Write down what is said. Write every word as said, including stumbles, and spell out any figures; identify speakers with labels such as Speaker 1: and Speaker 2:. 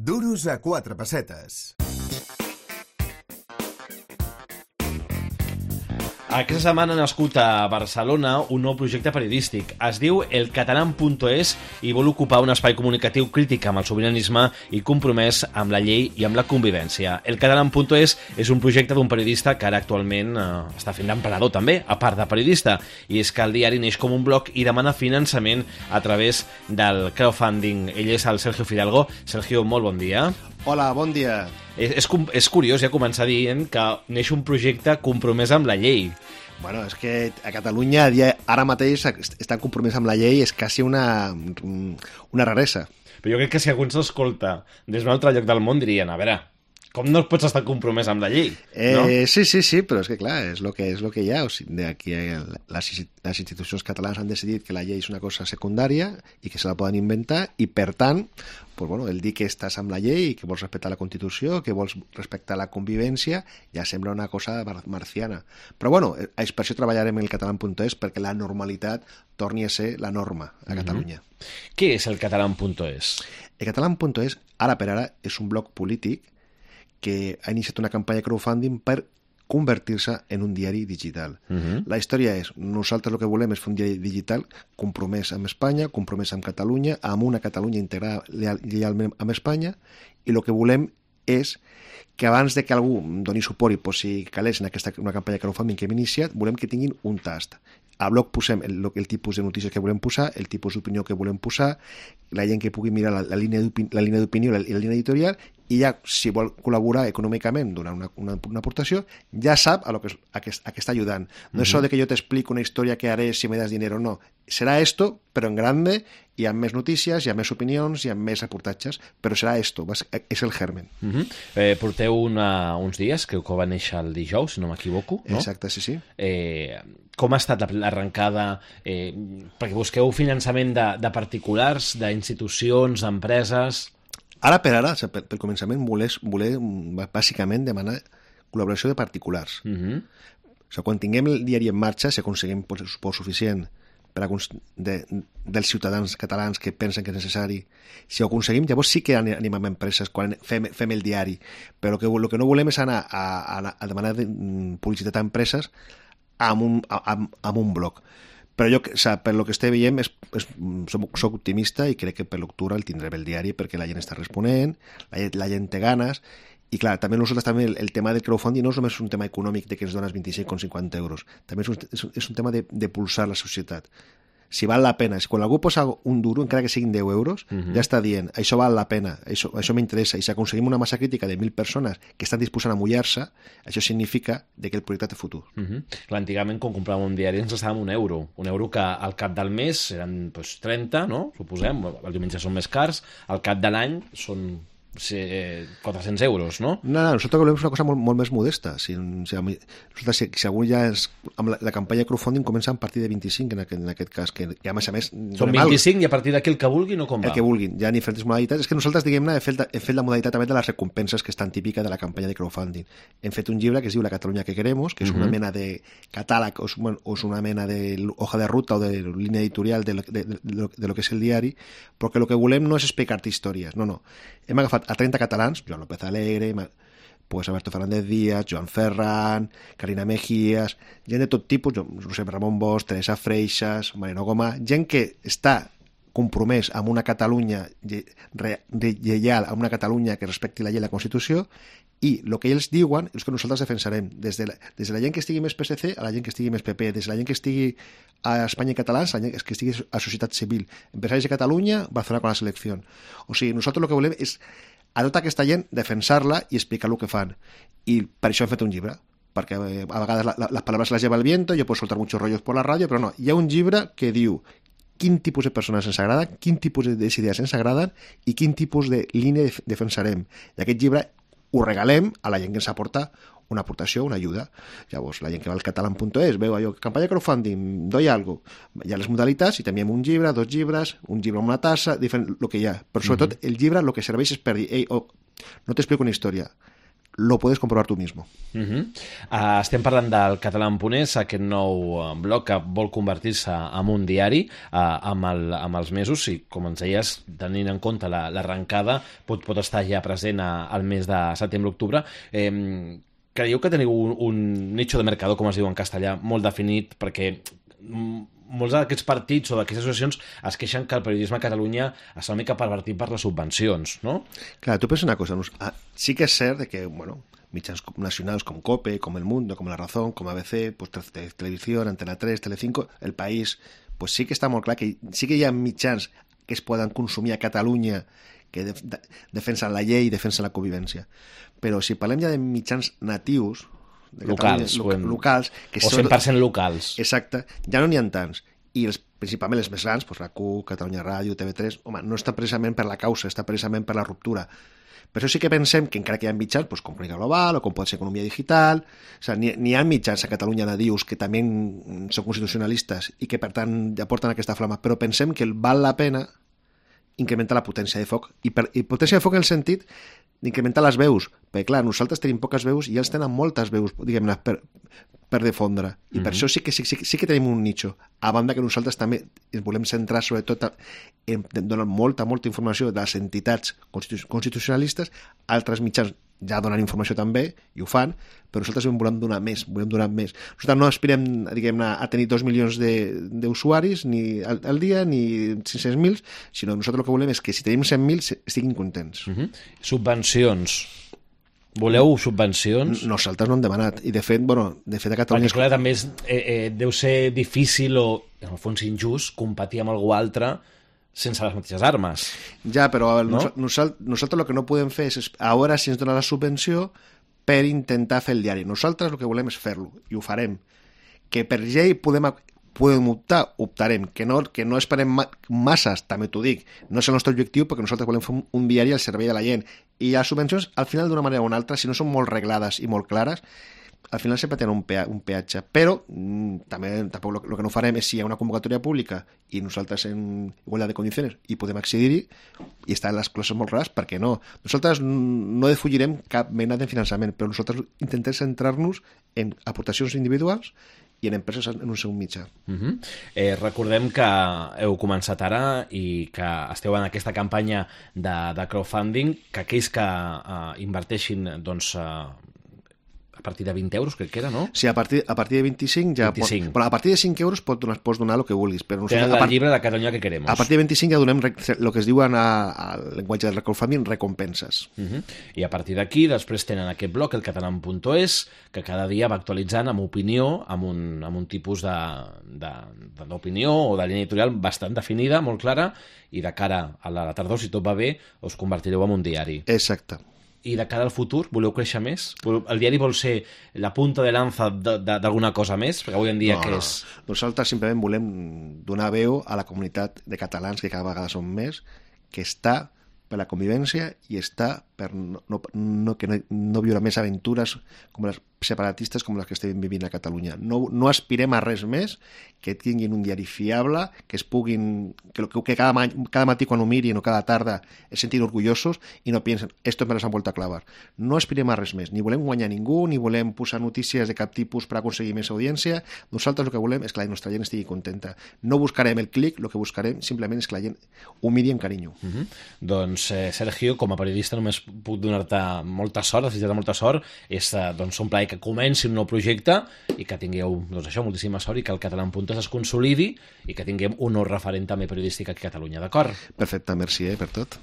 Speaker 1: Duros a quatre pessetes.
Speaker 2: Aquesta setmana ha nascut a Barcelona un nou projecte periodístic. Es diu El Catalán punt es i vol ocupar un espai comunicatiu crític amb el sobiranisme i compromès amb la llei i amb la convivència. El Catalán punt es és un projecte d'un periodista que ara actualment eh, està fent d'emperador també, a part de periodista, i és que el diari neix com un blog i demana finançament a través del crowdfunding. Ell és el Sergio Fidalgo. Sergio, molt bon dia.
Speaker 3: Hola, bon dia.
Speaker 2: És, és, és curiós ja començar dient que neix un projecte compromès amb la llei.
Speaker 3: Bueno, és que a Catalunya ara mateix estan compromès amb la llei, és quasi una, una raresa.
Speaker 2: Però jo crec que si algú ens escolta des d'un altre lloc del món dirien, a veure, com no pots estar compromès amb la llei? No?
Speaker 3: Eh, sí, sí, sí, però és que clar, és el que, és lo que hi ha. O sigui, aquí les, les institucions catalanes han decidit que la llei és una cosa secundària i que se la poden inventar i, per tant, pues, bueno, el dir que estàs amb la llei i que vols respectar la Constitució, que vols respectar la convivència, ja sembla una cosa marciana. Però bueno, és per això treballarem en el Catalán punt es, perquè la normalitat torni a ser la norma a Catalunya.
Speaker 2: Mm-hmm. Què és el Catalán punt es?
Speaker 3: El Catalán punt es, ara per ara, és un blog polític que ha iniciat una campanya de crowdfunding per convertir-se en un diari digital. Uh-huh. La història és, nosaltres el que volem és fer un diari digital compromès amb Espanya, compromès amb Catalunya, amb una Catalunya integrada lleialment amb Espanya, i el que volem és que abans de que algú doni suport i posi calés en aquesta una campanya de crowdfunding que hem iniciat, volem que tinguin un tast. Al blog posem el, el tipus de notícies que volem posar, el tipus d'opinió que volem posar, la gent que pugui mirar la, la línia d'opinió i la, la línia editorial, i ja, si vol col·laborar econòmicament donant una, una, una aportació, ja sap a, lo que, a, que, a que està ajudant. No uh-huh. és això de que jo t'explico una història que haré si me das dinero, no. Serà esto, però en grande, hi ha més notícies, hi ha més opinions, hi ha més reportatges, però serà esto, és el germen.
Speaker 2: Uh-huh. eh, porteu una, uns dies, creu que va néixer el dijous, si no m'equivoco, no?
Speaker 3: Exacte, sí, sí.
Speaker 2: Eh, com ha estat l'arrencada? Eh, perquè busqueu finançament de, de particulars, d'institucions, d'empreses...
Speaker 3: Ara per ara, pel, pel començament, voler, voler bàsicament demanar col·laboració de particulars. Uh-huh. O sigui, quan tinguem el diari en marxa, si aconseguim suport suficient per a, de, dels ciutadans catalans que pensen que és necessari, si ho aconseguim, llavors sí que animem empreses quan fem, fem el diari. Però que, el que no volem és anar a, a, a demanar de, publicitat a empreses amb un, amb, amb un blog. Però jo, o sigui, per lo que estic veient, és, és, soc, soc optimista i crec que per l'octubre el tindrem el diari perquè la gent està responent, la, la gent té ganes, i clar, també nosaltres també el, el tema del crowdfunding no és només un tema econòmic de que ens dones vint-i-cinc coma cinquanta euros, també és un, és, és un tema de, de pulsar la societat. Si val la pena, si quan algú posa un duro, encara que siguin deu euros, uh-huh. ja està dient, això val la pena, això, això m'interessa, i si aconseguim una massa crítica de mil persones que estan disposant a mullar-se, això significa de que el projecte té futur.
Speaker 2: Uh-huh. Clar, antigament, quan compràvem un diari, ens gastàvem un euro, un euro que al cap del mes eren pues, trenta, no? Suposem, el diumenge són més cars, al cap de l'any són... Sí, quatre-cents euros, no?
Speaker 3: No, no, nosaltres volem una cosa molt, molt més modesta. Si, si, nosaltres, si, si algú ja és... Amb la, la campanya de crowdfunding comença a partir de vint-i-cinc, en aquest, en aquest cas, que ja, a més a més...
Speaker 2: Són vint-i-cinc mal. I a partir d'aquí el que vulguin o com va?
Speaker 3: El que vulguin. Hi ha diferents modalitats. És que nosaltres, diguem-ne, hem fet, hem fet la modalitat també de les recompenses que és tan típica de la campanya de crowdfunding. Hem fet un llibre que es diu La Catalunya que queremos, que és una uh-huh. mena de catàleg o és, o és una mena de hoja de ruta o de línia editorial de lo, de, de, de, lo, de lo que és el diari, però que el que volem no és explicar-te històries, no, no. Hem agafat a trenta catalans, Joan López Alegre, pues Alberto Fernández Díaz, Joan Ferran, Carina Mejías, gent de tot tipus, Josep Ramon Bosch, Teresa Freixas, Mariano Gomà, gent que està compromès amb una Catalunya lleial, amb una Catalunya que respecti la llei i la Constitució, i el que ells diuen és que nosaltres defensarem, des de la, des de la gent que estigui més P S C a la gent que estigui més P P, des de la gent que estigui a Espanya i catalans a la gent que estigui a societat civil, empresaris de Catalunya, Barcelona con la selecció. O sigui, nosaltres el que volem és a tota aquesta gent defensar-la i explicar el que fan. I per això hem fet un llibre, perquè a vegades la, la, les paraules les lleva el viento, jo puedo soltar muchos rollos por la ràdio, però no, hi ha un llibre que diu quin tipus de persones ens agraden, quin tipus d'idees ens agraden i quin tipus de línia defensarem. I aquest llibre ho regalem a la gent que ens aporta una aportació, una ajuda. Llavors, la gent que va al catalán punt es veu allò, campanya de crowdfunding, doy algo. Hi ha les modalitats i també un llibre, dos llibres, un llibre amb una tassa, diferent, el que hi ha. Però sobretot el llibre el que serveix és per dir, ei, oh, no t'explico una història, lo puedes comprobar tú mismo.
Speaker 2: Uh -huh. uh, estem parlant del Catalan.es, aquest nou uh, blog que vol convertir-se en un diari uh, amb, el, amb els mesos, i com ens deies, tenint en compte l'arrencada, la, pot, pot estar ja present a, al mes de setembre-octubre. Eh, creieu que teniu un, un nicho de mercado, com es diu en castellà, molt definit, perquè molts d'aquests partits o d'aquestes associacions es queixen que el periodisme a Catalunya està una mica pervertit per les subvencions, no?
Speaker 3: Clar, tu pensa una cosa, sí que és cert que, bueno, mitjans nacionals com COPE, com El Mundo, com La Razón, com A B C, pues, Televisió, Antena tres, Telecinco, El País, pues sí que està molt clar que sí que hi ha mitjans que es poden consumir a Catalunya que de, de, defensen la llei i defensen la convivència. Però si parlem ja de mitjans natius, de
Speaker 2: locals,
Speaker 3: loca,
Speaker 2: en...
Speaker 3: locals que
Speaker 2: o cent per cent locals.
Speaker 3: Exacte, ja no n'hi ha tants. I els, principalment els més grans, pues, RAC1, Catalunya Ràdio, T V tres, home, no està precisament per la causa, està precisament per la ruptura. Per això sí que pensem que encara que hi ha mitjans, pues, com Crónica Global o com pot ser Economia Digital, o sigui, n'hi ha mitjans a Catalunya nadius que també són constitucionalistes i que per tant ja porten aquesta flama, però pensem que val la pena incrementar la potència de foc, i, per, i potència de foc en el sentit d'incrementar les veus, perquè clar, nosaltres tenim poques veus i ells tenen moltes veus, diguem-ne, per, per difondre, i mm-hmm. per això sí que, sí, sí que tenim un nicho, a banda que nosaltres també ens volem centrar sobretot en donar molta, molta informació de les entitats constitucionalistes, altres mitjans ja donen informació també, i ho fan, però nosaltres en volem donar més, volem donar més. Nosaltres no aspirem, diguem-ne, a tenir dos milions d'usuaris ni al, al dia, ni cinc-cents mil, sinó nosaltres el que volem és que si tenim cent mil estiguin contents.
Speaker 2: Uh-huh. Subvencions. Voleu subvencions?
Speaker 3: Nosaltres no hem demanat, i de fet, bueno, de fet a Catalunya...
Speaker 2: Perquè clar, també és, eh, eh, deu ser difícil o, en el fons, injust competir amb algú altre sense les mateixes armes.
Speaker 3: Ja, però
Speaker 2: no?
Speaker 3: nosaltres, nosaltres el que no podem fer és a veure si ens dona la subvenció per intentar fer el diari. Nosaltres el que volem és fer-lo, i ho farem. Que per llei podem, podem optar, optarem. Que no, que no esperem masses, també t'ho dic. No és el nostre objectiu, perquè nosaltres volem fer un, un diari al servei de la gent. I les subvencions, al final, d'una manera o una altra, si no són molt reglades i molt clares, al final sempre tenen un, pea, un peatge, però mm, també tampoc el que no farem és si hi ha una convocatòria pública i nosaltres en igualtat de condicions i podem accedir-hi i estar en les classes molt clares, per què no? Nosaltres no defugirem cap mena de finançament, però nosaltres intentem centrar-nos en aportacions individuals i en empreses en un segon mitjà.
Speaker 2: Uh -huh. eh, recordem que heu començat ara i que esteu en aquesta campanya de, de crowdfunding, que aquells que uh, inverteixin doncs, uh, a partir de vint euros, crec que era, no?
Speaker 3: Sí, a partir, a partir de vint-i-cinc ja...
Speaker 2: vint-i-cinc.
Speaker 3: Pot, bueno, a partir de cinc euros pots donar, pots donar el que vulguis. Però
Speaker 2: tenen el part... llibre de Catalunya que queremos.
Speaker 3: A partir de vint-i-cinc ja donem el que es diuen al llenguatge del crowdfunding recompenses.
Speaker 2: Uh -huh. I a partir d'aquí després tenen aquest blog, el Catalan.es, que cada dia va actualitzant amb opinió, amb un, amb un tipus d'opinió o de línia editorial bastant definida, molt clara, i de cara a la tardor, si tot va bé, us convertireu en un diari.
Speaker 3: Exacte.
Speaker 2: I de cara al futur, voleu créixer més? El diari vol ser la punta de lanza d'alguna cosa més? Perquè avui en dia
Speaker 3: no,
Speaker 2: què
Speaker 3: no.
Speaker 2: és?
Speaker 3: Nosaltres simplement volem donar veu a la comunitat de catalans, que cada vegada són més, que està per la convivència i està per no, no, no, que no, no viure més aventures com les separatistes com les que estem vivint a Catalunya. No, no aspirem a res més que tinguin un diari fiable, que es puguin, que, que cada, cada matí quan ho mirin o cada tarda es sentin orgullosos i no piensen, esto me les han vuelto a clavar. No aspirem a res més, ni volem guanyar ningú, ni volem posar notícies de cap tipus per aconseguir més audiència. Nosaltres el que volem és que la nostra gent estigui contenta. No buscarem el clic, el que buscarem simplement és que la gent ho miri amb carinyo.
Speaker 2: Uh -huh. Doncs, eh, Sergio, com a periodista només puc donar-te molta sort, desitjar-te molta sort, és eh, doncs, un plaer que comenci un nou projecte i que tingueu, doncs això, moltíssima sort i que el Catalan.es es consolidi i que tinguem un nou referent també periodístic aquí a Catalunya, d'acord?
Speaker 3: Perfecte, merci eh, per tot.